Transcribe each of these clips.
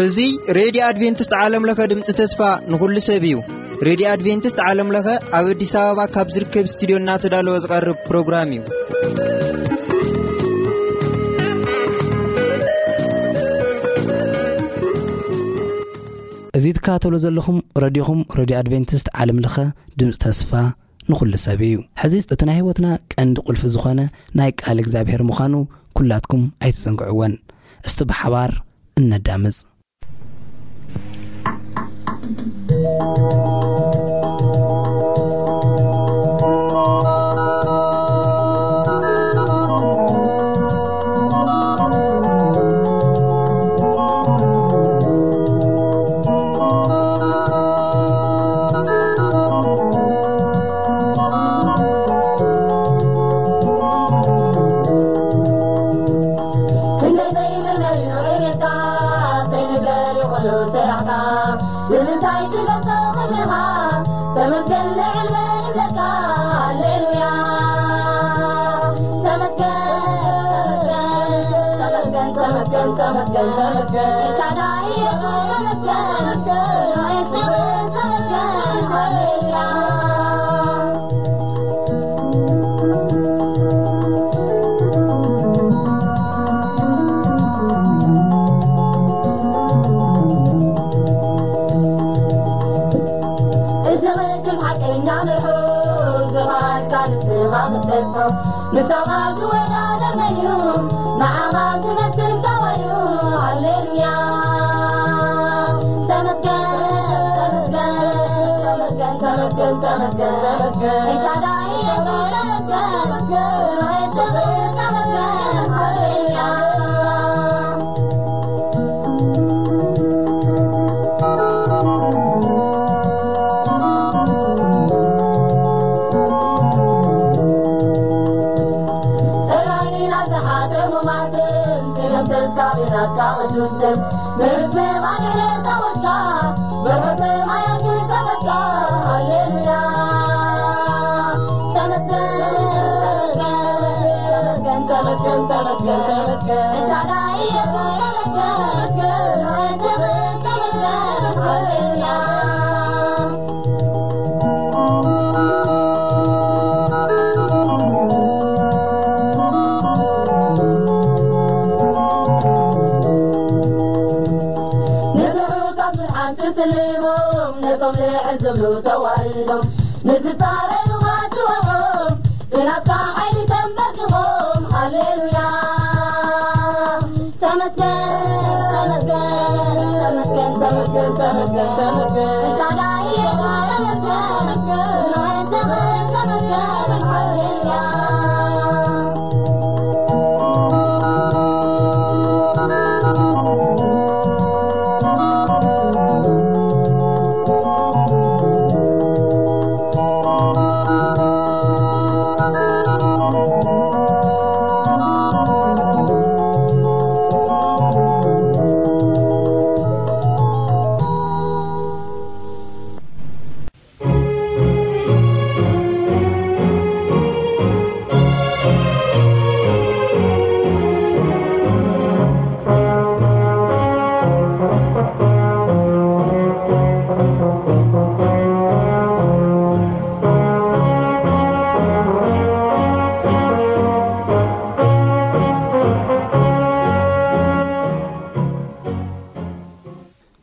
እዚ ሬድዮ ኣድቬንቲስት ዓለም ለኸ ድምፂ ተስፋ ንኹሉ ሰብ እዩ። ሬድዮ ኣድቬንቲስት ዓለም ለኸ ኣብ ኣዲስ ኣበባ ካብ ዝርከብ ስቱዲዮ እናተዳለወ ዝቐርብ ፕሮግራም እዩ። እዚ ትከታተሉ ዘለኹም ረድዮኹም ሬድዮ ኣድቬንቲስት ዓለም ለኸ ድምፂ ተስፋ ንኹሉ ሰብ እዩ። ሕዚ እቲ ናይ ህይወትና ቀንዲ ቁልፊ ዝኾነ ናይ ቃል እግዚኣብሔር ምዃኑ ኩላትኩም ኣይትዘንግዕወን። እስቲ ብሓባር እነዳምፅ።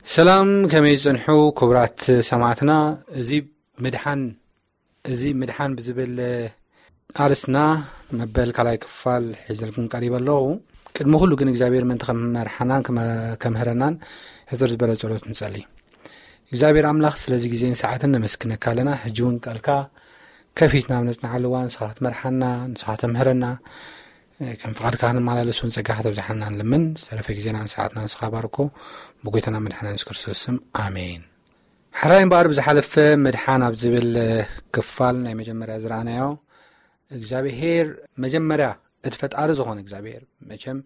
ሰላም፣ ከመይ ጽንሑ ክቡራት ሰማዕትና? እዚ ምድሓን፣ እዚ ምድሓን ብዝብል ኣርስትና መበል ካልኣይ ክፋል ሒዘልኩም ቀሪበ ኣለኹ። ቅድሚ ኩሉ ግን እግዚኣብሔር ምእንቲ ከም መርሓናን ከመ-፣ ከምህረናን ሕጽር ዝበለ ጸሎት ንጸሊ። እግዚኣብሔር ኣምላኽ ስለዚ ግዜን ሰዓትን ነመስግነካ ኣለና። ሕጂ እውን ቃልካ ከፊትና ኣብ ነጽንዓሉ እዋን ንስኻ ክትመርሓና፣ ንስኻ ተምህረና፣ ከም ፍቓድካ ክንመላለስ እውን ጸጋኻ ተብዝሓና ንልምን። ዝተረፈ ግዜና ንሰዓትና ንስኻ ባርኮ። ብጎይታና መድሓና የሱስ ክርስቶስ ስም፣ ኣሜን። ሕራይ እምበኣር ብዝሓለፈ ምድሓን ኣብ ዝብል ክፋል ናይ መጀመርያ ዝረኣናዮ፣ እግዚኣብሄር መጀመርያ እቲ ፈጣሪ ዝኾነ እግዚኣብሄር፣ መቸም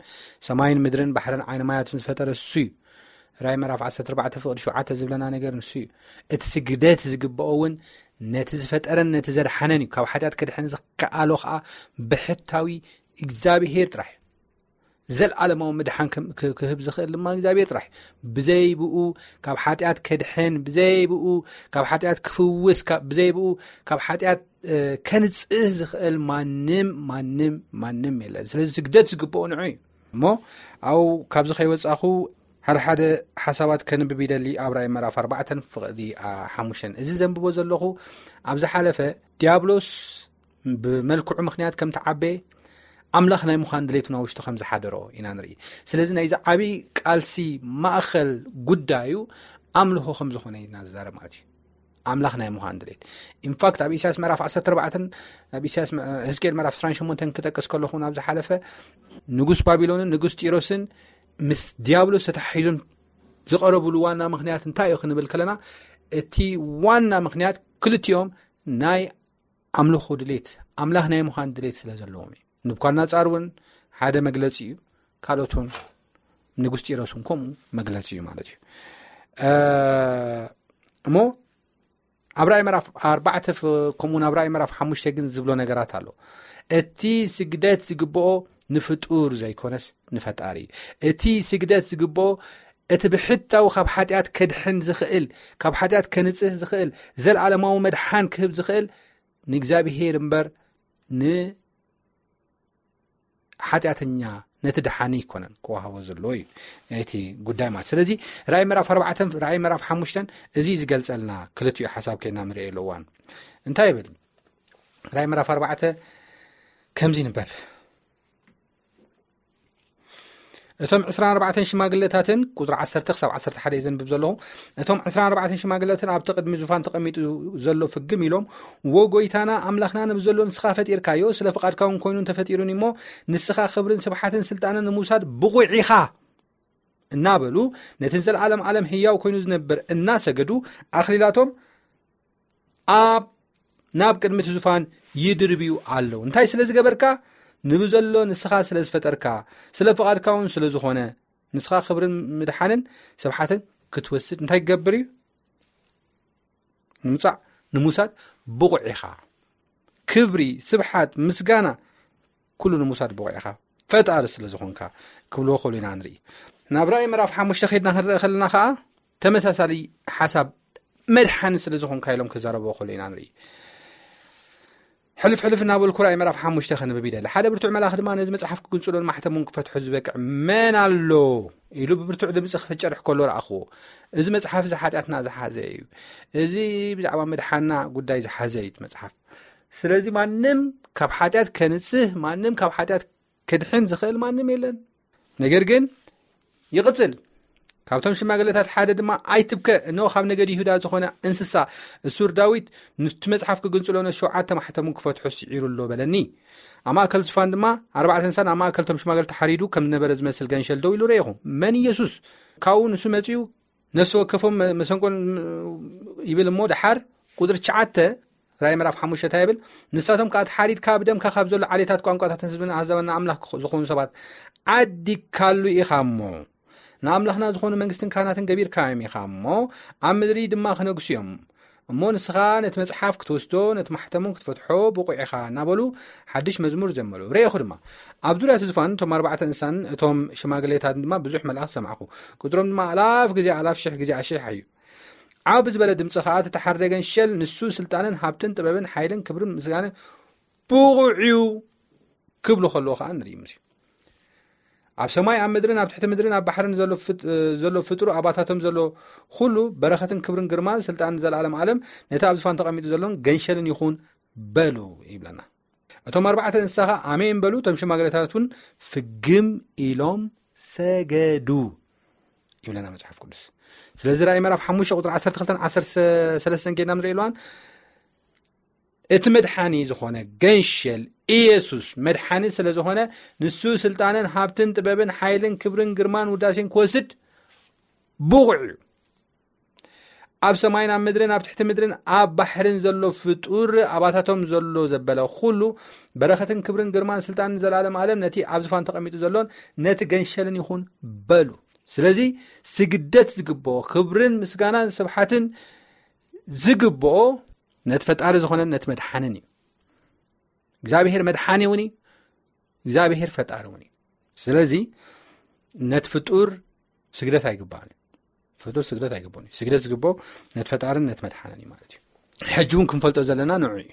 ሰማይን ምድርን ባሕርን ዓይኒ ማያትን ዝፈጠረ እሱ እዩ። ራይ ምዕራፍ ዓሰርተ ኣርባዕተ ፍቕዲ ሸውዓተ ዝብለና ነገር ንሱ እዩ። እቲ ስግደት ዝግብኦ እውን ነቲ ዝፈጠረን ነቲ ዘድሓነን እዩ። ካብ ሓጢኣት ክድሕን ዝከኣሎ ከዓ ብሕታዊ እግዚኣብሄር ጥራሕ እዩ። ዘልዓለማዊ ምድሓን ክህብ ዝኽእል ድማ እግዚኣብሔር ጥራሕ እዩ። ብዘይብኡ ካብ ሓጢኣት ከድሕን፣ ብዘይብኡ ካብ ሓጢኣት ክፍውስ፣ ብዘይብኡ ካብ ሓጢኣት ከንጽህ ዝኽእል ማንም ማንም ማንም የለን። ስለዚ ስግደት ዝግብኦ ንዑ እዩ። እሞ ኣብኡ ካብዚ ከይወጻኹ ሓደ ሓደ ሓሳባት ከንብብ ይደሊ። ኣብ ራእይ ምዕራፍ ኣርባዕተን ፍቕዲ ሓሙሽተን፣ እዚ ዘንብቦ ዘለኹ ኣብ ዝሓለፈ ዲያብሎስ ብመልክዑ ምኽንያት ከም ተዓበየ ኣምላኽ ናይ ምዃን ድሌት ናብ ውሽጡ ከም ዝሓደሮ ኢና ንርኢ። ስለዚ ናይዚ ዓብዪ ቃልሲ ማእኸል ጉዳዩ ኣምልኾ ከም ዝኾነ ኢና ዝዛረብ ማለት እዩ። ኣምላኽ ናይ ምዃን ድሌት። ኢንፋክት ኣብ ኢሳያስ ምዕራፍ ዓሰርተ ኣርባዕተን ኣብ ኢሳያስ ሕዝቅኤል ምዕራፍ ዕስራን ሸሞንተን ክጠቅስ ከለኹ ናብ ዝሓለፈ ንጉስ ባቢሎንን ንጉስ ጢሮስን ምስ ዲያብሎስ ተታሒዞም ዝቐረብሉ ዋና ምኽንያት እንታይ እዩ ክንብል ከለና፣ እቲ ዋና ምኽንያት ክልቲኦም ናይ ኣምልኾ ድሌት፣ ኣምላኽ ናይ ምዃን ድሌት ስለ ዘለዎም እዩ። ንብኳድናጻር እውን ሓደ መግለጺ እዩ። ካልኦት እውን ንጉስ ጢሮስ እውን ከምኡ መግለጺ እዩ ማለት እዩ። እሞ ኣብ ራእይ ምዕራፍ ኣርባዕተ ከምኡ ናብ ራእይ ምዕራፍ ሓሙሽተ ግን ዝብሎ ነገራት ኣሎ። እቲ ስግደት ዝግብኦ ንፍጡር ዘይኮነስ ንፈጣሪ እዩ። እቲ ስግደት ዝግብኦ እቲ ብሕታዊ ካብ ሓጢኣት ከድሕን ዝኽእል፣ ካብ ሓጢኣት ከንጽህ ዝኽእል፣ ዘለዓለማዊ መድሓን ክህብ ዝኽእል ንእግዚኣብሄር እምበር ንሓጢኣተኛ ነቲ ደሓኒ ኣይኮነን ክወሃቦ ዘለዎ እዩ እቲ ጉዳይ ማለት። ስለዚ ራእይ ምዕራፍ ኣርባዕተን ራእይ ምዕራፍ ሓሙሽተን እዚ ዝገልጸልና ክልቲኡ ሓሳብ ከይና ንርእየሉ እዋን እንታይ ይብል? ራእይ ምዕራፍ ኣርባዕተ ከምዚ ይንበብ። እቶም ዕስራን ኣርባዕተን ሽማግለታትን፣ ቁጽሪ ዓሰርተ ክሳብ ዓሰርተ ሓደ እየ ዘንብብ ዘለኹ። እቶም ዕስራን ኣርባዕተን ሽማግለታትን ኣብቲ ቅድሚ ዙፋን ተቐሚጡ ዘሎ ፍግም ኢሎም፣ "ወ ጎይታና ኣምላኽና፣ ነዚ ዘሎ ንስኻ ፈጢርካዮ፣ ስለ ፍቓድካ እውን ኮይኑ እንተፈጢሩኒ እሞ፣ ንስኻ ክብርን ስብሓትን ስልጣንን ንምውሳድ ብቑዕ ኢኻ" እናበሉ፣ ነቲ ንዘለዓለም ዓለም ህያው ኮይኑ ዝነብር እናሰገዱ፣ ኣኽሊላቶም ኣብ ናብ ቅድሚ እቲ ዙፋን ይድርብዩ ኣለዉ። እንታይ ስለ ዝገበርካ? ንብዘሎ ንስኻ ስለ ዝፈጠርካ፣ ስለ ፍቓድካ እውን ስለ ዝኾነ፣ ንስኻ ክብርን ምድሓንን ስብሓትን ክትወስድ እንታይ ክገብር እዩ? ንምጻእ፣ ንምውሳድ ብቑዕ ኢኻ። ክብሪ፣ ስብሓት፣ ምስጋና፣ ኩሉ ንምውሳድ ብቑዕ ኢኻ፣ ፈጣሪ ስለ ዝኾንካ ክብልዎ ከሉ ኢና ንርኢ። ናብ ራእይ ምዕራፍ ሓሙሽተ ከይድና ክንርኢ ከለና ኸዓ፣ ተመሳሳሊ ሓሳብ መድሓኒ ስለ ዝኾንካ ኢሎም ክዛረብዎ ከሉ ኢና ንርኢ። ሕልፍ ሕልፍ እናበልኩ ራእይ ምዕራፍ ሓሙሽተ ከንብብ ይደሊ። ሓደ ብርቱዕ መልኣኽ ድማ፣ "ነዚ መጽሓፍ ክግንጽሎን ማሕተሙን ክፈትሖ ዝበቅዕ መን ኣሎ?" ኢሉ ብብርቱዕ ድምጺ ክፍጨርሕ ከሎ ረኣኽዎ። እዚ መጽሓፍ እዚ ሓጢኣትና ዝሓዘ እዩ። እዚ ብዛዕባ ምድሓና ጉዳይ ዝሓዘ እዩ እቲ መጽሓፍ። ስለዚ ማንም ካብ ሓጢኣት ከንጽህ፣ ማንም ካብ ሓጢኣት ከድሕን ዝኽእል ማንም የለን። ነገር ግን ይቕጽል። ካብቶም ሽማግለታት ሓደ ድማ፣ "ኣይትብከ፣ እንሆ ካብ ነገድ ይሁዳ ዝኾነ እንስሳ፣ እሱር ዳዊት፣ ነቲ መጽሓፍ ክግንጽሎ ነቲ ሸውዓተ ማሕተሙ ክፈትሖ ስዒሩ ኣሎ" በለኒ። ኣብ ማእከል ዝፋን ድማ ኣርባዕተ እንስሳን ኣብ ማእከል እቶም ሽማግለ ተሓሪዱ ከም ዝነበረ ዝመስል ገንሸል ደው ኢሉ ረኢኹ። መን? ኢየሱስ። ካብኡ ንሱ መጺኡ ነፍሲ ወከፎም መ-፣ መሰንቆን ይብል እሞ፣ ደሓር ቁጽሪ ትሽዓተ ራእይ ምዕራፍ ሓሙሽተ እንታይ ይብል? "ንሳቶም ከኣ ተሓሪድካ ብደምካ ካብ ዘሎ ዓሌታት፣ ቋንቋታትን ህዝብን ኣህዛብን ንኣምላኽ ክኾ-፣ ዝኾኑ ሰባት ዓዲግካሉ ኢኻ እሞ፣ ንኣምላኽና ዝኾኑ መንግስትን ካህናትን ገቢርካዮም ኢኻ እሞ፣ ኣብ ምድሪ ድማ ክነግሱ እዮም። እሞ ንስኻ ነቲ መጽሓፍ ክትወስዶ፣ ነቲ ማሕተሙ ክትፈትሖ ብቑዕ ኢኻ" እናበሉ ሓድሽ መዝሙር ዘመሩ። ረኤኹ ድማ፣ ኣብ ዙርያ እቲ ዙፋን እቶም ኣርባዕተ እንስሳን እቶም ሽማግሌታትን ድማ ብዙሕ መልኣኽ ሰማዕኹ። ቁጽሮም ድማ ኣላፍ ግዜ ኣላፍ፣ ሽሕ ግዜ ኣሽሕ እዩ። ዓው ብዝበለ ድምጺ ኸኣ፣ "እቲ ተሓርደ ገንሸል ንሱ ስልጣንን ሃብትን ጥበብን ሓይልን ክብርን ምስጋናን ብቑዕ እዩ" ክብሉ ከለዉ ኸኣ ንርኢ። ምስ ኣብ ሰማይ፣ ኣብ ምድርን ኣብ ትሕቲ ምድርን ኣብ ባሕርን ዘሎ ፍጥ-፣ ዘሎ ፍጡር፣ ኣባታቶም ዘሎ ኹሉ፣ በረኸትን ክብርን ግርማን ስልጣንን ዘላለም ዓለም ነቲ ኣብ ዝፋን ተቐሚጡ ዘሎን ገንሸልን ይኹን በሉ ይብለና። እቶም ኣርባዕተ እንስሳ ኸኣ ኣሜን በሉ፣ እቶም ሽማግለታት እውን ፍግም ኢሎም ሰገዱ ይብለና መጽሓፍ ቅዱስ። ስለዚ ራእይ ምዕራፍ ሓሙሽተ ቁጽሪ ዓሰርተ ክልተን ዓሰርተ ሰለስተን ጌድና ንርኢ ኣለዋን። እቲ መድሓኒ ዝኾነ ገንሸል ኢየሱስ መድሓኒ ስለ ዝኾነ፣ ንሱ ስልጣንን ሃብትን ጥበብን ሓይልን ክብርን ግርማን ውዳሴን ክወስድ ብቑዕ እዩ። ኣብ ሰማይን ኣብ ምድርን ኣብ ትሕቲ ምድርን ኣብ ባሕርን ዘሎ ፍጡር፣ ኣባታቶም ዘሎ ዘበለ ኩሉ፣ በረኸትን ክብርን ግርማን ስልጣንን ዘላለም ዓለም ነቲ ኣብ ዝፋን ተቐሚጡ ዘሎን ነቲ ገንሸልን ይኹን በሉ። ስለዚ ስግደት ዝግብኦ፣ ክብርን ምስጋናን ስብሓትን ዝግብኦ ነቲ ፈጣሪ ዝኾነን ነቲ መድሓንን እዩ። እግዚኣብሔር መድሓኒ እውን እዩ፣ እግዚኣብሔር ፈጣሪ እውን እዩ። ስለዚ ነቲ ፍጡር ስግደት ኣይግባእን እዩ። ፍጡር ስግደት ኣይግባእን እዩ። ስግደት ዝግብኦ ነቲ ፈጣርን ነቲ መድሓንን እዩ ማለት እዩ። ሕጂ እውን ክንፈልጦ ዘለና ንዑ እዩ።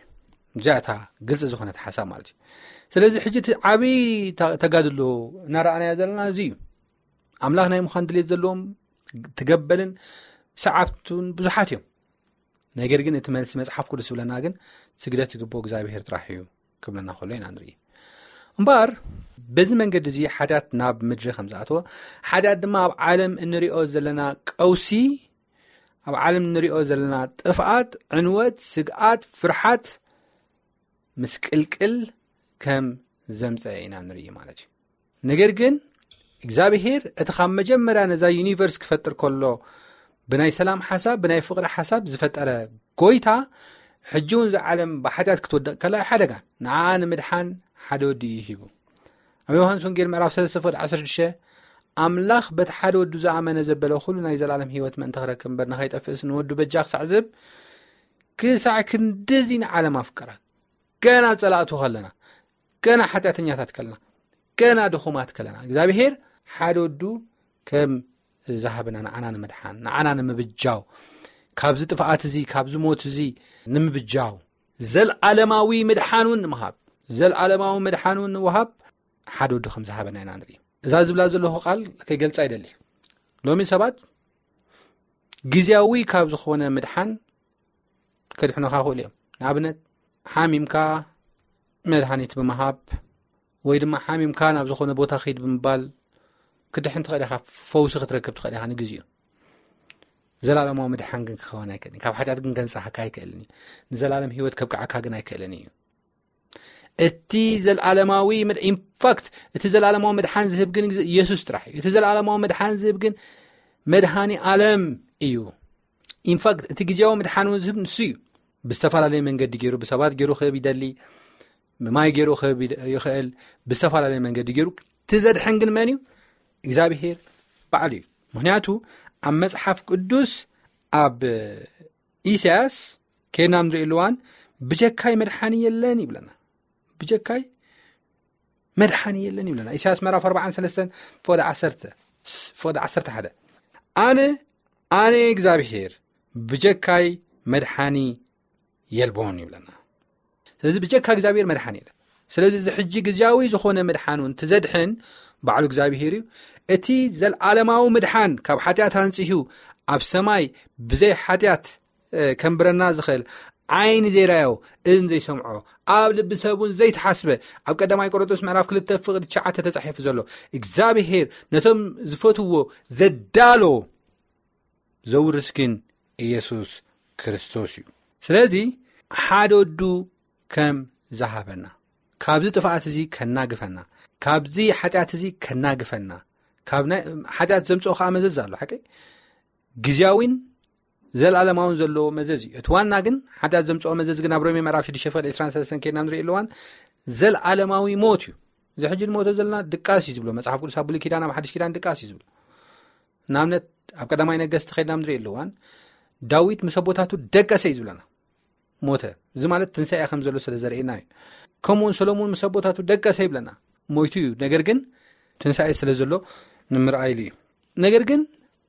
እዚኣ እታ ግልፂ ዝኾነት ሓሳብ ማለት እዩ። ስለዚ ሕጂ እቲ ዓብዪ ተ- ተጋድሎ እናረኣናዮ ዘለና እዚ እዩ። ኣምላኽ ናይ ምዃን ድሌት ዘለዎም ትገበልን ሰዓብቱን ብዙሓት እዮም። ነገር ግን እቲ መልሲ መጽሓፍ ቅዱስ ዝብለና ግን ስግደት ዝግብኦ እግዚኣብሔር ጥራሕ እዩ ክብለና ከሎ ኢና ንርኢ። እምበኣር በዚ መንገዲ እዚ ሓጢኣት ናብ ምድሪ ከም ዝኣተወ፣ ሓጢኣት ድማ ኣብ ዓለም እንሪኦ ዘለና ቀውሲ፣ ኣብ ዓለም እንሪኦ ዘለና ጥፍኣት፣ ዕንወት፣ ስግኣት፣ ፍርሓት፣ ምስቅልቅል ከም ዘምፀ ኢና ንርኢ ማለት እዩ። ነገር ግን እግዚኣብሔር እቲ ካብ መጀመርያ ነዛ ዩኒቨርስ ክፈጥር ከሎ ብናይ ሰላም ሓሳብ፣ ብናይ ፍቕሪ ሓሳብ ዝፈጠረ ጎይታ፣ ሕጂ እውን እዛ ዓለም ብሓጢኣት ክትወድቕ ከላ ሓደጋ ንዓ ንምድሓን ሓደ ወዲ እዩ ሂቡ። ኣብ ዮሃንስ ወንጌል ምዕራፍ ሰለስተ ፍቕዲ ዓሰርተ ሽዱሽተ ኣምላኽ በቲ ሓደ ወዱ ዝኣመነ ዘበለ ኩሉ ናይ ዘላለም ህይወት ምእንቲ ክረክብ እምበር ንኸይጠፍእስ ንወዱ በጃ ክሳዕ ዝህብ ክሳዕ ክንድዚ ንዓለም ኣፍቀራ። ገና ጸላእቱ ከለና፣ ገና ሓጢኣተኛታት ከለና፣ ገና ድኹማት ከለና እግዚኣብሔር ሓደ ወዱ ከም ዝሃበና ንዓና ንምድሓን፣ ንዓና ንምብጃው፣ ካብዚ ጥፍኣት እዚ፣ ካብዚ ሞት እዚ ንምብጃው፣ ዘልዓለማዊ ምድሓን እውን ንምሃብ፣ ዘልዓለማዊ ምድሓን እውን ንምሃብ ሓደ ወዱ ከም ዝሃበና ኢና ንርኢ። እዛ ዝብላ ዘለኹ ቃል ከይገልጻ ይደሊ። ሎሚ ሰባት ግዜያዊ ካብ ዝኾነ ምድሓን ከድሕኑኻ ክእሉ እዮም። ንኣብነት ሓሚምካ መድሃኒት ብምሃብ ወይ ድማ ሓሚምካ ናብ ዝኾነ ቦታ ኺድ ብምባል ክድሕን ትኽእል ኢኻ፣ ፈውሲ ክትረክብ ትኽእል ኢኻ ንግዜኡ። ዘላለማዊ ምድሓን ግን ክኸውን ኣይክእልን። ካብ ሓጢኣት ግን ከንጽሃካ ኣይክእልን እዩ። ንዘላለም ህይወት ከብቅዓካ ግን ኣይክእልን እዩ። እቲ ዘላለማዊ ምድ- ኢንፋክት እቲ ዘላለማዊ ምድሓን ዝህብ ግን ኢየሱስ ጥራሕ እዩ። እቲ ዘላለማዊ ምድሓን ዝህብ ግን መድሃኒ ዓለም እዩ። ኢንፋክት እቲ ግዜያዊ ምድሓን እውን ዝህብ ንሱ እዩ። ብዝተፈላለየ መንገዲ ገይሩ ብሰባት ገይሩ ክህብ ይደሊ፣ ብማይ ገይሩ ክህብ ይደ- ይኽእል፣ ብዝተፈላለየ መንገዲ ገይሩ። እቲ ዘድሕን ግን መን እዩ? እግዚኣብሄር ባዕሉ እዩ። ምክንያቱ ኣብ መጽሓፍ ቅዱስ ኣብ ኢሳያስ ከይድና ንርኢ ኣለዋን ብጀካይ መድሓኒ የለን ይብለና። ብጀካይ መድሓኒ የለን ይብለና። ኢሳያስ ምዕራፍ ኣርባዓን ሰለስተን ፍቕዲ ዓሰርተ፣ ፍቕዲ ዓሰርተ ሓደ ኣነ ኣነ እግዚኣብሄር ብጀካይ መድሓኒ የልቦን ይብለና። ስለዚ ብጀካ እግዚኣብሄር መድሓኒ የለን። ስለዚ እዚ ሕጂ ግዜያዊ ዝኾነ ምድሓን እውን ትዘድሕን ባዕሉ እግዚኣብሄር እዩ። እቲ ዘልዓለማዊ ምድሓን ካብ ሓጢኣት ኣንጺሁ ኣብ ሰማይ ብዘይ ሓጢኣት እ፣ ከንብረና ዝኽእል ዓይኒ ዘይራዮ እዝን ዘይሰምዖ ኣብ ልቢ ሰብ እውን ዘይተሓስበ ኣብ ቀዳማይ ቆሮንቶስ ምዕራፍ ክልተ ፍቕዲ ትሽዓተ ተጻሒፉ ዘሎ እግዚኣብሄር ነቶም ዝፈትዎ ዘዳሎ ዘውርስ ግን ኢየሱስ ክርስቶስ እዩ። ስለዚ ሓደ ወዱ ከም ዝሃበና ካብዚ ጥፍኣት እዚ ከናግፈና ካብዚ ሓጢኣት እዚ ከናግፈና ካብ ናይ ሓጢኣት ዘምፅኦ ከዓ መዘዝ ኣሎ ሓቂ ግዜያዊን ዘልኣለማውን ዘለዎ መዘዝ እዩ። እቲ ዋና ግን ሓጢኣት ዘምፅኦ መዘዝ ግን ኣብ ሮሜ ምዕራፍ ሽዱሽተ ፍቕዲ ዕስራን ሰለስተን ከይድና ንርኢ ኣለዋን ዘልኣለማዊ ሞት እዩ። እዚ ሕጂ ንሞቶ ዘለና ድቃስ እዩ ዝብሎ መጽሓፍ ቅዱስ ኣብ ብሉይ ኪዳን ኣብ ሓድሽ ኪዳን ድቃስ እዩ ዝብሎ። ንኣብነት ኣብ ቀዳማይ ነገስቲ ከይድና ንርኢ ኣለዋን ዳዊት ምስ ኣቦታቱ ደቀሰ እዩ ዝብለና ሞተ። እዚ ማለት ትንሳኤ ከም ዘሎ ስለ ዘርእየና እዩ። ከምኡውን ሰሎሞን ምስ ኣቦታቱ ደቀሰ ይብለና ሞይቱ እዩ። ነገር ግን ትንሳኤ ስለ ዘሎ ንምርኣይሉ እዩ። ነገር ግን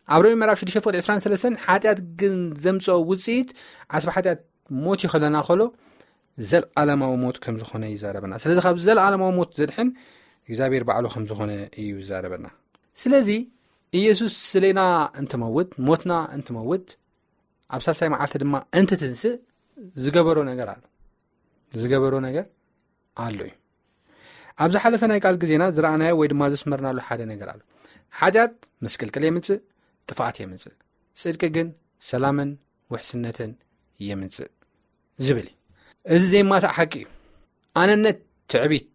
ኣብ ሮሜ ምዕራፍ ሽዱሽተ ፍቕዲ ዕስራን ሰለስተን ሓጢኣት ግን ዘምፅኦ ውፅኢት ዓስቢ ሓጢኣት ሞት እዩ ከለና ከሎ ዘልዓለማዊ ሞት ከም ዝኾነ ይዛረበና። ስለዚ ካብ ዘልዓለማዊ ሞት ዘድሕን እግዚኣብሔር ባዕሉ ከም ዝኾነ እዩ ይዛረበና። ስለዚ ኢየሱስ ስሌና እንትመውት ሞትና እንትመውት ኣብ ሳልሳይ መዓልቲ ድማ እንትትንስእ ዝገበሮ ነገር ኣሎ። ዝገበሮ ነገር ኣሎ እዩ። ኣብ ዝሓለፈ ናይ ቃል ግዜና ዝረኣናዮ ወይ ድማ ዘስመርናሉ ሓደ ነገር ኣሎ። ሓጢኣት ምስቅልቅል የምፅእ፣ ጥፍኣት የምፅእ፣ ፅድቂ ግን ሰላምን ውሕስነትን የምፅእ ዝብል እዩ። እዚ ዘይማሳእ ሓቂ እዩ። ኣነነት፣ ትዕቢት፣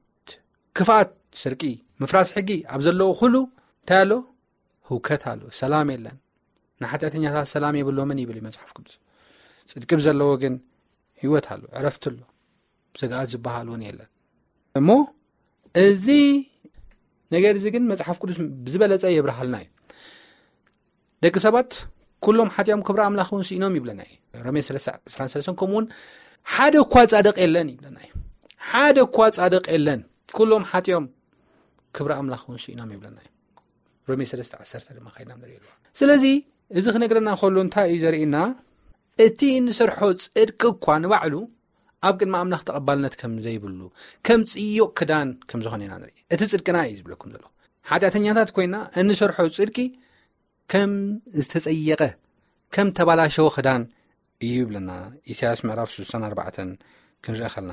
ክፍኣት፣ ስርቂ፣ ምፍራስ ሕጊ ኣብ ዘለዎ ኩሉ እንታይ ኣሎ? ህውከት ኣሎ፣ ሰላም የለን። ንሓጢኣተኛታት ሰላም የብሎምን ይብል እዩ መጽሓፍ ቅዱስ። ጽድቂ ብዘለዎ ግን ህይወት ኣሎ፣ ዕረፍቲ ኣሎ፣ ስግኣት ዝበሃል እውን የለን። እሞ እዚ ነገር እዚ ግን መጽሓፍ ቅዱስ ብዝበለጸ የብርሃልና እዩ። ደቂ ሰባት ኩሎም ሓጢኦም ክብሪ ኣምላኽ እውን ስኢኖም ይብለና እዩ። ሮሜ ሰለስተ ዕስራን ሰለስተን ከምኡ እውን ሓደ እኳ ጻድቕ የለን ይብለና እዩ። ሓደ እኳ ጻድቕ የለን፣ ኩሎም ሓጢኦም ክብሪ ኣምላኽ እውን ስኢኖም ይብለና እዩ። ሮሜ ሰለስተ ዓሰርተ ድማ ካይድና ንርኢ ኣለዋ። ስለዚ እዚ ክነግረና ከሎ እንታይ እዩ ዘርእና? እቲ እንሰርሖ ጽድቂ እኳ ንባዕሉ ኣብ ቅድሚ ኣምላኽ ተቐባልነት ከም ዘይብሉ፣ ከም ጽዮቕ ክዳን ከም ዝኾነ ኢና ንርኢ። እቲ ጽድቅና እዩ ዝብለኩም ዘሎ። ሓጢኣተኛታት ኮይና እንሰርሖ ጽድቂ ከም ዝተጸየቐ፣ ከም ተባላሸወ ክዳን እዩ ይብለና። ኢሳያስ ምዕራፍ ስሳን ኣርባዕተን ክንርኢ ከለና፣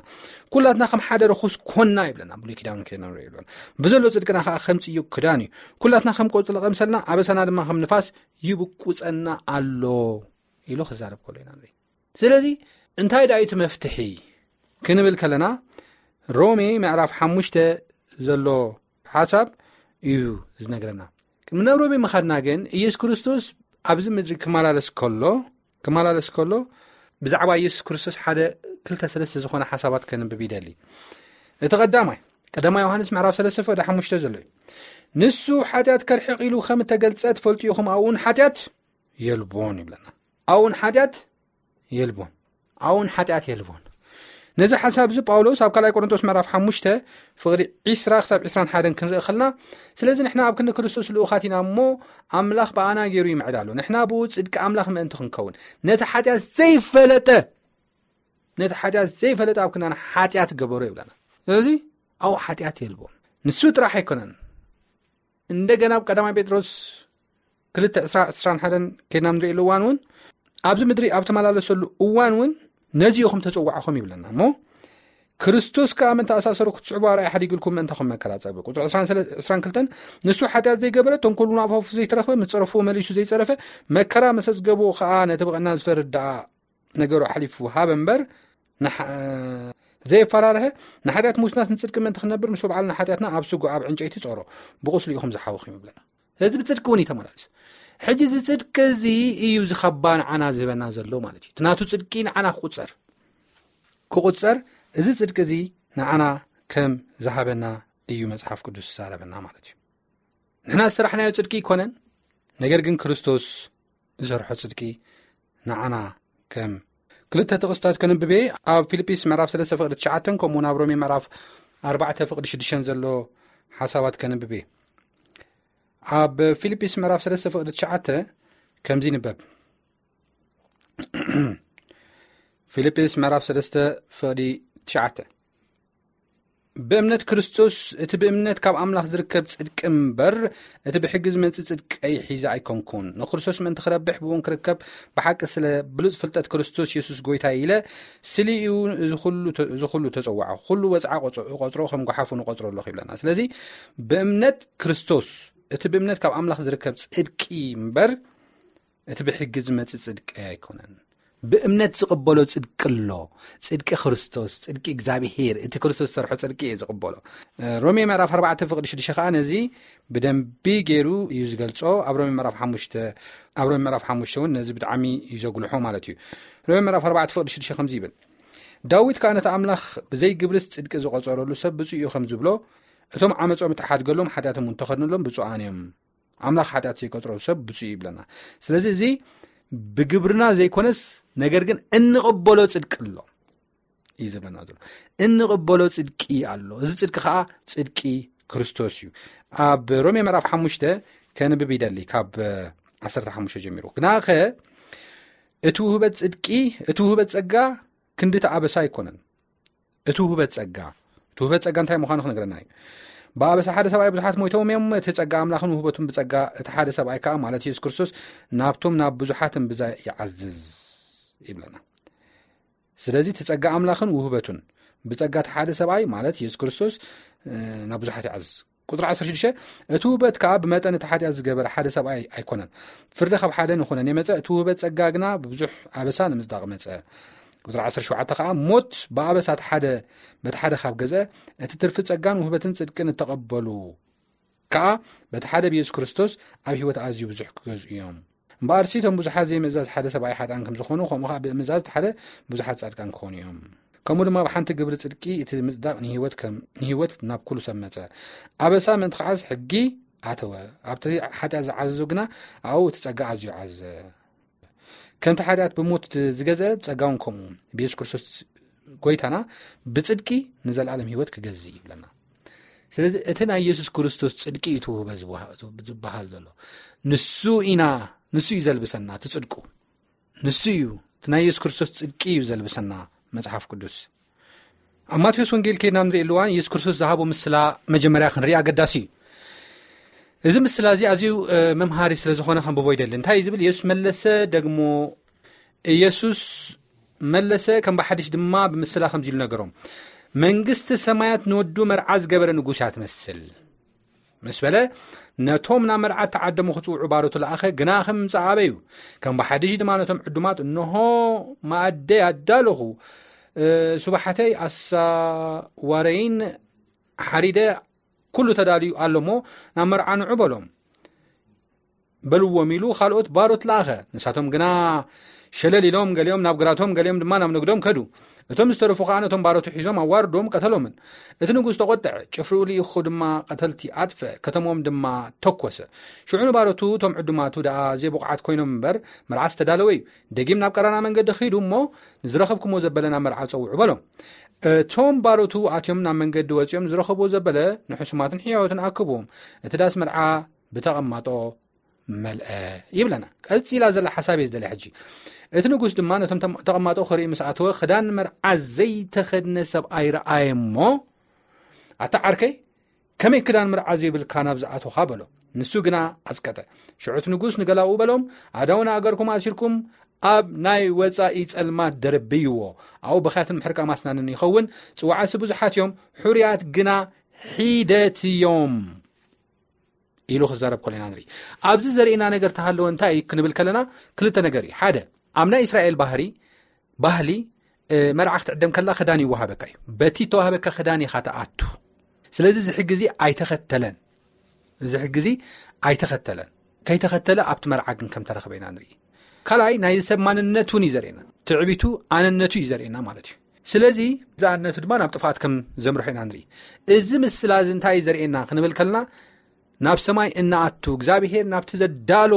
ኩላትና ከም ሓደ ርኹስ ኮና ይብለና። ብሉይ ኪዳን ከይና ንርኢ ኣለና። ብዘሎ ጽድቅና ከኣ ከም ጽዩቅ ክዳን እዩ። ኩላትና ከም ቆጽሊ ቀምሰልና፣ ኣበሳና ድማ ከም ንፋስ ይብቁጸና ኣሎ ኢሉ ክዛረብ ከሎ ኢና ንርኢ። ስለዚ እንታይ ደኣ እዩ እቲ መፍትሒ ክንብል ከለና፣ ሮሜ ምዕራፍ ሓሙሽተ ዘሎ ሓሳብ እዩ ዝነግረና። ቅድሚ ናብ ሮሜ ምኻድና ግን፣ ኢየሱስ ክርስቶስ ኣብዚ ምድሪ ክመላለስ ከሎ፣ ክመላለስ ከሎ፣ ብዛዕባ ኢየሱስ ክርስቶስ ሓደ ክልተ ሰለስተ ዝኾነ ሓሳባት ከንብብ ይደሊ። እቲ ቀዳማይ፣ ቀዳማይ ዮሃንስ ምዕራፍ ሰለስተ ፍቕዲ ሓሙሽተ ዘሎ እዩ። ንሱ ሓጢኣት ከርሕቕ ኢሉ ከም እተገልጸ ትፈልጡ ኢኹም፣ ኣብኡ እውን ሓጢኣት የልቦን ይብለና። ኣብኡ እውን ሓጢኣት የልቦን። ኣብኡ እውን ሓጢኣት የልቦን። ነዚ ሓሳብ እዚ ጳውሎስ ኣብ ካልኣይ ቆሮንቶስ ምዕራፍ ሓሙሽተ ፍቕዲ ዒስራ ክሳብ ዒስራን ሓደን ክንርኢ ከለና፣ ስለዚ ንሕና ኣብ ክንዲ ክርስቶስ ልኡኻት ኢና እሞ፣ ኣምላኽ ብኣና ገይሩ ይምዕድ ኣሎ። ንሕና ብኡ ጽድቂ ኣምላኽ ምእንቲ ክንከውን፣ ነቲ ሓጢኣት ዘይፈለጠ፣ ነቲ ሓጢኣት ዘይፈለጠ ኣብ ክንዳና ሓጢኣት ገበሮ ይብለና። ስለዚ ኣብኡ ሓጢኣት የልቦን። ንሱ ጥራሕ ኣይኮነን። እንደገና ኣብ ቀዳማይ ጴጥሮስ ክልተ ዕስራ ዕስራን ሓደን ከይድና ንርእየሉ እዋን እውን፣ ኣብዚ ምድሪ ኣብ ተመላለሰሉ እዋን እውን ነዚ ኢኹም ተጸዋዕኹም ይብለና። እሞ ክርስቶስ ከኣ ምእንቲ ኣሳሰሩ ክትስዕቡ ኣርኣያ ሓዲግልኩም ምእንታኹም መከራ ጸበ። ቁጽሪ ዕስራን ክልተን፣ ንሱ ሓጢኣት ዘይገበረ፣ ተንኮል እውን ኣብ ኣፉ ዘይተረኽበ፣ ምስ ጸረፍዎ መሊሱ ዘይጸረፈ፣ መከራ ምስ ኣጽገብዎ ከኣ ነቲ ብቐና ዝፈርድ ደኣ ነገሩ ኣሕሊፉ ሃበ እምበር፣ ንሓ-፣ ዘየፈራርሀ፣ ንሓጢኣት ምውት ናስ ንጽድቂ ምእንቲ ክንነብር፣ ንሱ ባዕሉ ንሓጢኣትና ኣብ ስጉ ኣብ ዕንጨይቲ ጸሮ፣ ብቁስሉ ኢኹም ዝሓወኹም ይብለና። ስለዚ ብጽድቂ እውን እዩ ተመላሊሱ። ሕጂ እዚ ጽድቂ እዚ እዩ ዝኸባ ንዓና ዝህበና ዘሎ ማለት እዩ። እቲ ናቱ ጽድቂ ንዓና ክቁጸር፣ ክቁጸር፣ እዚ ጽድቂ እዚ ንዓና ከም ዝሃበና እዩ መጽሓፍ ቅዱስ ዝዛረበና ማለት እዩ። ንሕና ዝሰራሕናዮ ጽድቂ ኣይኮነን፣ ነገር ግን ክርስቶስ ዝሰርሖ ጽድቂ ንዓና ከም ክልተ ጥቕስታት ከንብቤ፣ ኣብ ፊልጲስ ምዕራፍ ሰለስተ ፍቕዲ ትሽዓተን ከምኡ እውን ኣብ ሮሜ ምዕራፍ ኣርባዕተ ፍቕዲ ሽዱሽተን ዘሎ ሓሳባት ከንብቤ። ኣብ ፊልጲስ ምዕራፍ ሰለስተ ፍቕዲ ትሽዓተ ከምዚ ይንበብ። ፊልጲስ ምዕራፍ ሰለስተ ፍቕዲ ትሽዓተ። ብእምነት ክርስቶስ፣ እቲ ብእምነት ካብ ኣምላኽ ዝርከብ ጽድቂ እምበር፣ እቲ ብሕጊ ዝመጽእ ጽድቂ ሒዘ ኣይኮንኩን። ንክርስቶስ ምእንቲ ክረብሕ ብእውን ክርከብ ብሓቂ ስለ ብሉጽ ፍልጠት ክርስቶስ የሱስ ጎይታ ኢለ፣ ስሊኡ እዚ ኩሉ ተ-፣ እዚ ኩሉ ተጸዋዕኹ። ኩሉ ወጽዓ ቆጽ-፣ እቆጽሮ ከም ጓሓፉ ንቆጽሮ ኣለኹ ይብለና። ስለዚ ብእምነት ክርስቶስ፣ እቲ ብእምነት ካብ ኣምላኽ ዝርከብ ጽድቂ እምበር፣ እቲ ብሕጊ ዝመጽእ ጽድቂ ኣይኮነን። ብእምነት ዝቕበሎ ጽድቂ ኣሎ። ጽድቂ ክርስቶስ፣ ጽድቂ እግዚኣብሄር፣ እቲ ክርስቶስ ዝሰርሖ ጽድቂ እየ ዝቕበሎ። እ፣ ሮሜ ምዕራፍ ኣርባዕተ ፍቕዲ ሽዱሽተ ከኣ ነዚ ብደንቢ ገይሩ እዩ ዝገልጾ። ኣብ ሮሜ ምዕራፍ ሓሙሽተ፣ ኣብ ሮሜ ምዕራፍ ሓሙሽተ እውን ነዚ ብጣዕሚ እዩ ዘጉልሖ ማለት እዩ። ሮሜ ምዕራፍ ኣርባዕተ ፍቕዲ ሽዱሽተ ከምዚ ይብል፣ ዳዊት ከኣ ነቲ ኣምላኽ ብዘይ ግብርስ ጽድቂ ዝቖጸረሉ ሰብ ብፁዕ እዩ ከም ዝብሎ፣ እቶም ዓመጾም እተሓድገሎም ሓጢኣቶም እውን ተኸድንሎም ብፁዓን እዮም። ኣምላኽ ሓጢኣት ዘይቆጽሮ ሰብ ብፁዕ እዩ ይብለና። ስለዚ እዚ ብግብርና ዘይኮነስ፣ ነገር ግን እንቕበሎ ጽድቂ ኣሎ እዩ ዝብለና ዘሎ። እንቕበሎ ጽድቂ ኣሎ። እዚ ጽድቂ ከኣ ጽድቂ ክርስቶስ እዩ። ኣብ ሮሜ ምዕራፍ ሓሙሽተ ከንብብ ይደሊ፣ ካብ ዓሰርተ ሓሙሽተ ጀሚሩ። ግናኸ እቲ ውህበት ጽድቂ፣ እቲ ውህበት ጸጋ ክንዲ እቲ ኣበሳ ኣይኮነን። እቲ ውህበት ጸጋ፣ እቲ ውህበት ጸጋ እንታይ ምዃኑ ክነግረና እዩ። ብኣበሳ ሓደ ሰብኣይ ብዙሓት ሞይቶም እዮም፣ እቲ ጸጋ ኣምላኽን ውህበቱን ብጸጋ እቲ ሓደ ሰብኣይ ከኣ፣ ማለት የሱስ ክርስቶስ፣ ናብቶም ናብ ብዙሓት እምብዛ ይዓዝዝ ይብለና። ስለዚ እቲ ጸጋ ኣምላኽን ውህበቱን ብጸጋ እቲ ሓደ ሰብኣይ፣ ማለት የሱስ ክርስቶስ፣ እ፣ ናብ ብዙሓት ይዓዝዝ። ቁጽሪ ዓሰርተ ሽዱሽተ፣ እቲ ውህበት ከኣ ብመጠን እቲ ሓጢኣት ዝገበረ ሓደ ሰብኣይ ኣይኮነን። ፍርዲ ካብ ሓደ ንኹነን የመጸ፣ እቲ ውህበት ጸጋ ግና ብብዙሕ ኣበሳ ንምጽዳቕ መጸ። ቁጽሪ ዓሰርተ ሸውዓተ ከኣ፣ ሞት ብኣበሳ እቲ ሓደ በቲ ሓደ ካብ ገዝአ፣ እቲ ትርፊ ጸጋን ውህበትን ጽድቅን እተቐበሉ ከኣ በቲ ሓደ ብየሱስ ክርስቶስ ኣብ ህይወት ኣዝዩ ብዙሕ ክገዝኡ እዮም። እምበኣርሲ እቶም ብዙሓት ዘይምእዛዝ ሓደ ሰብኣይ ሓጥኣን ከም ዝኾኑ፣ ከምኡ ከኣ ብምእዛዝ እቲ ሓደ ብዙሓት ጻድቃን ክኾኑ እዮም። ከምኡ ድማ ብሓንቲ ግብሪ ጽድቂ እቲ ምጽዳቕ ንህይወት ከም፣ ንህይወት ናብ ኩሉ ሰብ መጸ። ኣበሳ ምእንቲ ክዓዝ ሕጊ ኣተወ። ኣብቲ ሓጢኣት ዝዓዘዞ ግና ኣብኡ እቲ ጸጋ ኣዝዩ ዓዘዘ። ከምቲ ሓጢኣት ብሞት ዝገዝአ፣ ጸጋ እውን ከምኡ። ብየሱስ ክርስቶስ ጎይታና ብጽድቂ ንዘለኣለም ህይወት ክገዝእ ይብለና። ስለዚ እቲ ናይ የሱስ ክርስቶስ ጽድቂ እዩ ትውህበ ዝበሃ-፣ ዝበሃል ዘሎ። ንሱ ኢና፣ ንሱ እዩ ዘልብሰና እቲ ጽድቁ። ንሱ እዩ፣ እቲ ናይ የሱስ ክርስቶስ ጽድቂ እዩ ዘልብሰና መጽሓፍ ቅዱስ። ኣብ ማቴዎስ ወንጌል ከይድና ንሪእሉ እዋን የሱስ ክርስቶስ ዝሃቦ ምስላ መጀመርያ ክንርኢ ኣገዳሲ እዩ። እዚ ምስላ እዚ ኣዝዩ፣ እ፣ መምሃሪ ስለ ዝኾነ ከንብቦ ይደሊ። እንታይ እዩ ዝብል? የሱስ መለሰ፣ ደግሞ የሱስ መለሰ፣ ከም ብሓድሽ ድማ ብምስላ ከምዚ ኢሉ ነገሮም። መንግስቲ ሰማያት ንወዱ መርዓ ዝገበረ ንጉስ እያ ትመስል። ምስ በለ፣ ነቶም ናብ መርዓ እተዓደሙ ክጽውዑ ባሮቱ ለኣኸ፣ ግና ከም ምምጻእ ኣበዩ። ከም ብሓድሽ ድማ ነቶም ዕዱማት፣ እንሆ መኣደይ ኣዳለኹ፣ እ፣ ስባሕተይ ኣሳዋረይን ሓሪደ፣ ኩሉ ተዳልዩ ኣሎ እሞ ናብ መርዓ ንዑ በሎም፣ በልዎም ኢሉ ካልኦት ባሮት ለኣኸ። ንሳቶም ግና ሸለል ኢሎም፣ ገሊኦም ናብ ግራቶም፣ ገሊኦም ድማ ናብ ንግዶም ከዱ። እቶም ዝተረፉ ከኣ ነቶም ባሮቱ ሒዞም ኣዋርዶም ቀተሎምን። እቲ ንጉስ ተቖጥዐ፣ ጭፍርኡ ልኢኹ ድማ ቀተልቲ ኣጥፍአ፣ ከተሞም ድማ ተኮሰ። ሽዑ ንባሮቱ እቶም ዕዱማቱ ደኣ ዘይብቑዓት ኮይኖም እምበር፣ መርዓ ዝተዳለወ እዩ። ደጊም ናብ ቀራና መንገዲ ኺዱ እሞ፣ ንዝረኸብኩሞ ዘበለ ናብ መርዓ ጸውዑ በሎም። እቶም ባሮቱ ኣትዮም ናብ መንገዲ ወጺኦም ዝረኸብዎ ዘበለ ንሕሱማትን ሕያዎትን ኣክብዎም። እቲ ዳስ መርዓ ብተቐማጦ መልአ ይብለና። ቀጺላ ዘላ ሓሳብ እየ ዝደልያ ሕጂ። እቲ ንጉስ ድማ ነቶም ተም-፣ ተቐማጦ ክርኢ ምስ ኣተወ፣ ክዳን መርዓ ዘይተኸድነ ሰብኣይ ረኣየ እሞ፣ ኣታ ዓርከይ፣ ከመይ ክዳን መርዓ ዘይብልካ ናብ ዝኣቶኻ በሎ። ንሱ ግና ኣጽቀጠ። ሽዑ እቲ ንጉስ ንገላኡ በሎም፣ ኣእዳውን ኣእገርኩም ኣሲርኩም ኣብ ናይ ወጻኢ ጸልማት ደርብይዎ። ኣብኡ ብኽያትን ምሕርቃ ማስናንን ይኸውን። ጽዋዓሲ ብዙሓት እዮም፣ ሕሩያት ግና ሒደት እዮም ኢሉ ክዛረብ ከሎ ኢና ንርኢ። ኣብዚ ዘርእየና ነገር ተሃለወ እንታይ እዩ ክንብል ከለና ክልተ ነገር እዩ። ሓደ፣ ኣብ ናይ እስራኤል ባህሪ፣ ባህሊ፣ እ፣ መርዓ ክትዕደም ከላ ክዳን ይወሃበካ እዩ። በቲ ተዋህበካ ክዳን ኢኻ ትኣቱ። ስለዚ እዚ ሕጊ እዚ ኣይተኸተለን። እዚ ሕጊ እዚ ኣይተኸተለን። ከይተኸተለ ኣብቲ መርዓ ግን ከም ተረኽበ ኢና ንርኢ። ካልኣይ፣ ናይ ሰብ ማንነት እውን እዩ ዘርእየና። ትዕቢቱ ኣነነቱ እዩ ዘርእየና ማለት እዩ። ስለዚ እዚ ኣነነቱ ድማ ናብ ጥፍኣት ከም ዘምርሖ ኢና ንርኢ። እዚ ምስላ እዚ እንታይ እዩ ዘርእየና ክንብል ከለና፣ ናብ ሰማይ እናኣቱ እግዚኣብሄር ናብቲ ዘዳሎ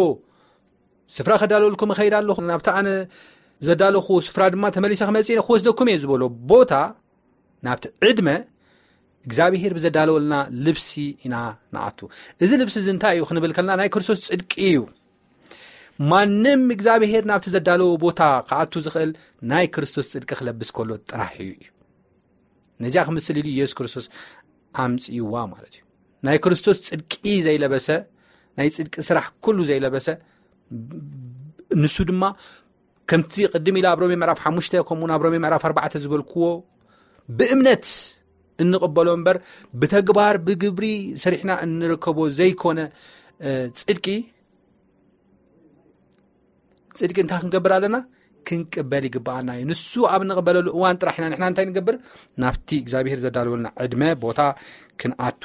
ስፍራ ከዳለወልኩም እኸይድ ኣለኹ፣ ናብቲ ኣነ ዘዳለኹ ስፍራ ድማ ተመሊሰ ክመጽእ እየ፣ ክወስደኩም እየ ዝበሎ ቦታ፣ ናብቲ ዕድመ እግዚኣብሄር ብዘዳለወልና ልብሲ ኢና ንኣቱ። እዚ ልብሲ እዚ እንታይ እዩ ክንብል ከለና ናይ ክርስቶስ ጽድቂ እዩ። ማንም እግዚኣብሄር ናብቲ ዘዳለዎ ቦታ ክኣቱ ዝኽእል ናይ ክርስቶስ ጽድቂ ክለብስ ከሎ ጥራሕ እዩ። ነዚኣ ክምስል ኢሉ ኢየሱስ ክርስቶስ ኣምጽእዋ ማለት እዩ። ናይ ክርስቶስ ጽድቂ ዘይለበሰ፣ ናይ ጽድቂ ስራሕ ኩሉ ዘይለበሰ፣ ንሱ ድማ ከምቲ ቅድም ኢለ ኣብ ሮሜ ምዕራፍ ሓሙሽተ፣ ከምኡውን ኣብ ሮሜ ምዕራፍ ኣርባዕተ ዝበልክዎ፣ ብእምነት እንቕበሎ እምበር ብተግባር ብግብሪ ሰሪሕና እንርከቦ ዘይኮነ፣ እ፣ ጽድቂ፣ ጽድቂ እንታይ ክንገብር ኣለና? ክንቅበል ይግብኣና እዩ። ንሱ ኣብ እንቕበለሉ እዋን ጥራሕ ኢና ንሕና እንታይ ንገብር? ናብቲ እግዚኣብሄር ዘዳለወልና ዕድመ ቦታ ክንኣቱ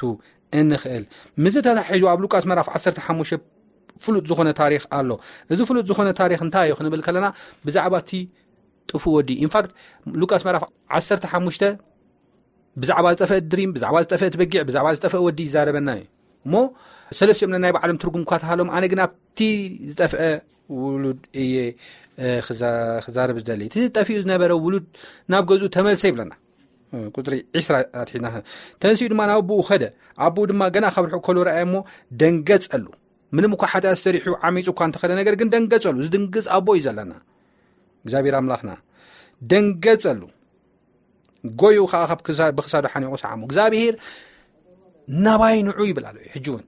እንኽእል። ምስዚ ተታሒዙ ኣብ ሉቃስ ምዕራፍ ዓሰርተ ሓሙሽተ ፍሉጥ ዝኾነ ታሪኽ ኣሎ። እዚ ፍሉጥ ዝኾነ ታሪኽ እንታይ እዩ ክንብል ከለና፣ ብዛዕባ እቲ ጥፉእ ወዲ። ኢንፋክት፣ ሉቃስ ምዕራፍ ዓሰርተ ሓሙሽተ ብዛዕባ ዝጠፍአት ድሪም፣ ብዛዕባ ዝጠፍአት በጊዕ፣ ብዛዕባ ዝጠፍአ ወዲ ይዛረበና እዩ። እሞ ሰለስቲኦም ነናይ ባዕሎም ትርጉም እኳ ተሃሎም፣ ኣነ ግን ኣብቲ ዝጠፍአ ውሉድ እየ፣ እ፣ ክዛ-፣ ክዛረብ ዝደሊ። እቲ ጠፊኡ ዝነበረ ውሉድ ናብ ገዝኡ ተመልሰ ይብለና። እ፣ ቁጽሪ ዕስራ ኣትሒና። ተንሲኡ ድማ ናብ ኣቦኡ ኸደ። ኣቦኡ ድማ ገና ካብ ርሑቕ ከሎ ረኣየ እሞ ደንገጸሉ። ምንም እኳ ሓጢኣት ሰሪሑ ዓሚጹ እኳ እንተኸደ፣ ነገር ግን ደንገጸሉ። ዝድንግጽ ኣቦ እዩ ዘለና እግዚኣብሔር ኣምላኽና። ደንገጸሉ። ጎዩ ኸዓ ካብ ክሳ-፣ ብክሳዱ ሓኒቑ ሰዓሙ። እግዚኣብሔር ናባይ ንዑ ይብል ኣሎ። ሕጂ እውን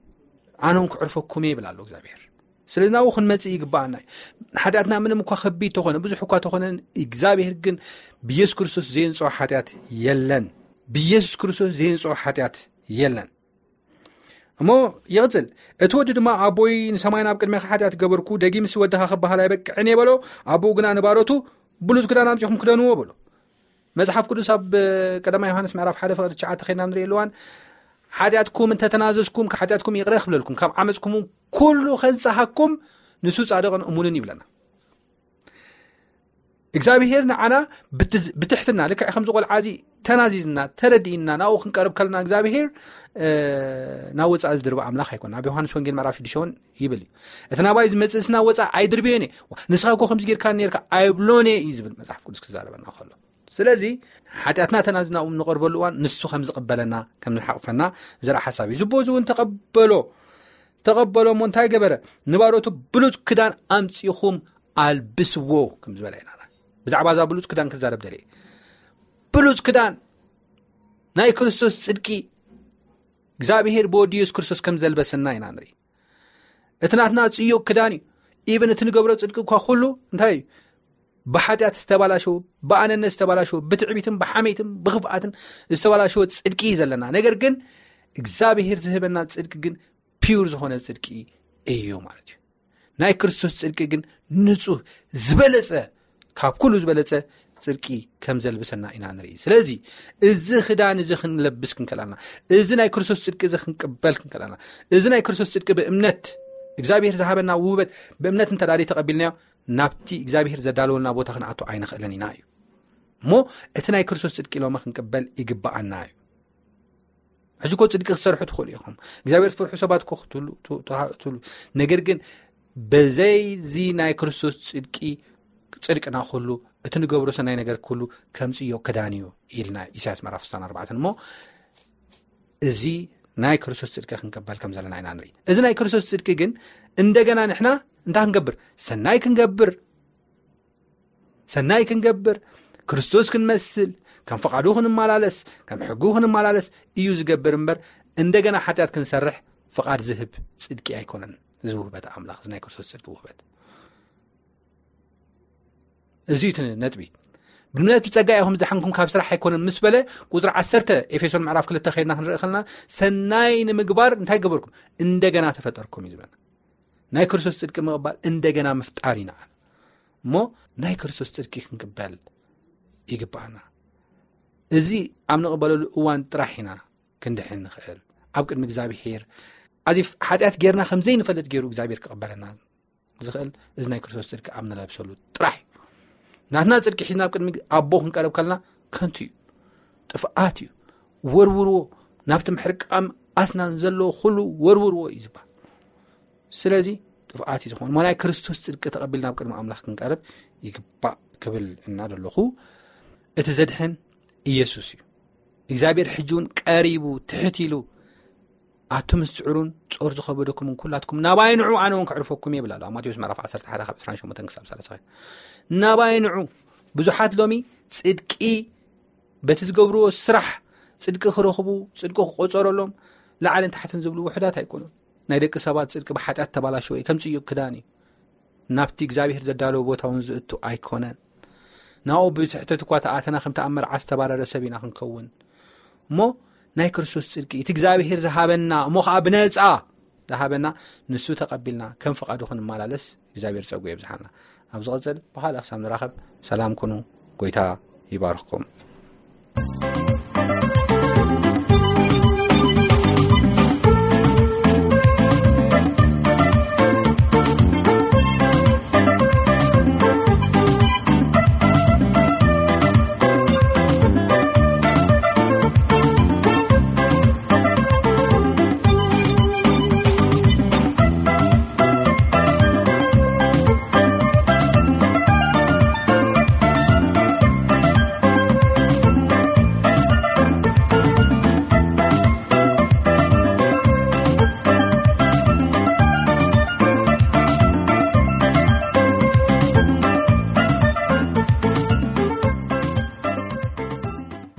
ኣነ እውን ክዕርፈኩም እየ ይብል ኣሎ እግዚኣብሔር። ስለዚ ናብኡ ክንመጽእ ይግብኣና እዩ። ሓጢኣትና ምንም እኳ ከቢድ ተኾነ፣ ብዙሕ እኳ ተኾነ፣ እግዚኣብሔር ግን ብኢየሱስ ክርስቶስ ዘየንጽኦ ሓጢኣት የለን። ብኢየሱስ ክርስቶስ ዘየንጽኦ ሓጢኣት የለን። እሞ ይቕጽል። እቲ ወዲ ድማ፣ ኣቦይ፣ ንሰማይ ናብ ቅድሜኻ ሓጢኣት ገበርኩ፣ ደጊምሲ ወድኻ ክበሃል ኣይበቅዕን እየ በሎ። ኣቦኡ ግና ንባሮቱ፣ ብሉጽ ክዳን ኣምጺኹም ክደንዎ በሎ። መጽሓፍ ቅዱስ ኣብ ቀዳማይ ዮሃንስ ምዕራፍ ሓደ ፍቕዲ ትሽዓተ ኸይድና ንርኢ ኣለዋን፣ ሓጢኣትኩም እንተተናዘዝኩም፣ ሓጢኣትኩም ይቕረ ክብለልኩም፣ ካብ ዓመጽኩም ኩሉ ከንጽሃኩም፣ ንሱ ጻድቕን እሙንን ይብለና። እግዚኣብሄር ንዓና ብት-፣ ብትሕትና፣ ልክዕ ከምዚ ቆልዓ እዚ ተናዚዝና፣ ተረዲእና፣ ናብኡ ክንቀርብ ከለና እግዚኣብሄር፣ እ፣ ናብ ወጻኢ ዝድርብ ኣምላኽ ኣይኮነን። ኣብ ዮሃንስ ወንጌል ምዕራፍ ሽዱሽተ እውን ይብል እዩ። "እቲ ናባይ ዝመጽእስ ናብ ወጻኢ ኣይድርብዮን እየ። ንስኻ እኮ ከምዚ ጌርካ ኔርካ ኣይብሎን እየ" እዩ ዝብል መጽሓፍ ቅዱስ ክዛረበና ከሎ። ስለዚ ሓጢኣትና ተናዚዝና ንቐርበሉ እዋን ንሱ ከም ዝቕበለና፣ ከም ዝሓቕፈና ዘርኢ ሓሳብ እዩ። ዝቦ እዚ እውን ተቐበሎ፣ ተቐበሎ እሞ እንታይ ገበረ? "ንባሮቱ ብሉጽ ክዳን ኣምጺኹም ኣልብስዎ" ከም ዝበለ ኢና። ብዛዕባ እዛ ብሉጽ ክዳን ክዛረብ ደልየ። ብሉጽ ክዳን ናይ ክርስቶስ ጽድቂ እግዚኣብሄር ብወዲ የሱስ ክርስቶስ ከም ዘልበሰና ኢና ንርኢ። እቲ ናትና ጽዩቕ ክዳን እዩ። ኢቨን እቲ ንገብሮ ጽድቂ እኳ ኩሉ እንታይ እዩ? ብሓጢኣት ዝተባላሸወ፣ ብኣነነት ዝተባላሸወ፣ ብትዕቢትን ብሓሜትን ብኽፍኣትን ዝተባላሸወ ጽድቂ እዩ ዘለና። ነገር ግን እግዚኣብሄር ዝህበና ጽድቂ ግን ፒውር ዝኾነ ጽድቂ እዩ ማለት እዩ። ናይ ክርስቶስ ጽድቂ ግን ንጹህ፣ ዝበለጸ፣ ካብ ኩሉ ዝበለጸ ጽድቂ ከም ዘልብሰና ኢና ንርኢ። ስለዚ እዚ ክዳን እዚ ክንለብስ ክንከላልና፣ እዚ ናይ ክርስቶስ ጽድቂ እዚ ክንቅበል ክንከላልና፣ እዚ ናይ ክርስቶስ ጽድቂ ብእምነት እግዚኣብሄር ዝሃበና ውህበት ብእምነት እንተ ደኣ ተቐቢልናዮ፣ ናብቲ እግዚኣብሄር ዘዳለወልና ቦታ ክንኣቱ ኣይንኽእልን ኢና እዩ። እሞ እቲ ናይ ክርስቶስ ጽድቂ ሎሚ ክንቅበል ይግብኣና እዩ። ሕጂ እኮ ጽድቂ ክትሰርሑ ትኽእሉ ኢኹም። እግዚኣብሔር ትፈርሑ ሰባት እኮ ክትህሉ፣ ት-፣ ትሃ-፣ ትህሉ። ነገር ግን በዘይዚ ናይ ክርስቶስ ጽድቂ፣ ጽድቅና ኩሉ፣ እቲ ንገብሮ ሰናይ ነገር ኩሉ ከምጽዮ ክዳን እዩ ኢልና ኢሳያስ ምዕራፍ ስሳን ኣርባዕተን። እሞ እዚ ናይ ክርስቶስ ጽድቂ ክንቀበል ከም ዘለና ኢና ንርኢ። እዚ ናይ ክርስቶስ ጽድቂ ግን እንደገና ንሕና እንታይ ክንገብር? ሰናይ ክንገብር፣ ሰናይ ክንገብር፣ ክርስቶስ ክንመስል፣ ከም ፍቓዱ ክንመላለስ፣ ከም ሕጉ ክንመላለስ እዩ ዝገብር እምበር፣ እንደገና ሓጢኣት ክንሰርሕ ፍቓድ ዝህብ ጽድቂ ኣይኮነን። እዚ ውህበት ኣምላኽ፣ እዚ ናይ ክርስቶስ ጽድቂ ውህበት። እዚ እዩ እቲ ነጥቢ። ብእምነት ብጸጋ ኢኹም ዝደሓንኩም፣ ካብ ስራሕ ኣይኮነን ምስ በለ፣ ቁጽሪ ዓሰርተ ኤፌሶን ምዕራፍ ክልተ ከይድና ክንርኢ ከለና፣ ሰናይ ንምግባር እንታይ ገበርኩም? እንደገና ተፈጠርኩም እዩ ዝብለና። ናይ ክርስቶስ ጽድቂ ምቕባል እንደገና ምፍጣር ኢና። እሞ ናይ ክርስቶስ ጽድቂ ክንቅበል ይግብኣና። እዚ ኣብ ንቕበለሉ እዋን ጥራሕ ኢና ክንድሕን ንኽእል። ኣብ ቅድሚ እግዚኣብሔር ኣዚ ሓጢኣት ጌርና ከም ዘይንፈልጥ ገይሩ እግዚኣብሔር ክቕበለና ዝኽእል እዚ ናይ ክርስቶስ ጽድቂ ኣብ ንለብሰሉ ጥራሕ እዩ። ናትና ጽድቂ ሒዝና ኣብ ቅድሚ ኣቦ ክንቀርብ ከለና ከንቱ እዩ፣ ጥፍኣት እዩ። ወርውርዎ፣ ናብቲ ምሕርቃም ኣስናን ዘለዎ ኩሉ ወርውርዎ እዩ ዝበሃል። ስለዚ ጥፍኣት እዩ ዝኾን። እሞ ናይ ክርስቶስ ጽድቂ ተቐቢልና ኣብ ቅድሚ ኣምላኽ ክንቀርብ ይግባእ ክብል እና ዘለኹ፣ እቲ ዘድሕን ኢየሱስ እዩ። እግዚኣብሔር ሕጂ እውን ቀሪቡ፣ ትሕት ኢሉ፣ ኣቱም ዝስዕሩን ጾር ዝኸበደኩምን ኩላትኩም ናባይ ንዑ፣ ኣነ እውን ከዕርፈኩም እየ ይብል ኣሎ። ኣብ ማቴዎስ ምዕራፍ ዓሰርተ ሓደ ካብ ዕስራን ሸሞንተን ክሳብ ሰላሳ። ናባይ ንዑ። ብዙሓት ሎሚ ጽድቂ በቲ ዝገብርዎ ስራሕ ጽድቂ ክረኽቡ፣ ጽድቂ ክቆጸረሎም ላዕልን ታሕትን ዝብሉ ውሑዳት ኣይኮኑን። ናይ ደቂ ሰባት ጽድቂ ብሓጢኣት ተባላሸወ እዩ፣ ከም ጽዩቕ ክዳን እዩ። ናብቲ እግዚኣብሔር ዘዳለወ ቦታ እውን ዝእቱ ኣይኮነን። ናብኡ ብስሕተት እኳ ተኣተና፣ ከምቲ ኣብ መርዓ ዝተባረረ ሰብ ኢና ክንከውን። እሞ ናይ ክርስቶስ ጽድቂ፣ እቲ እግዚኣብሔር ዝሃበና፣ እሞ ኸዓ ብነጻ ዝሃበና፣ ንሱ ተቐቢልና ከም ፍቓዱ ክንመላለስ እግዚኣብሔር ጸጉ የብዝሓልና። ኣብ ዝቐጽል ብኻልእ ክሳብ ንራኸብ ሰላም ኩኑ። ጎይታ ይባርኽኩም።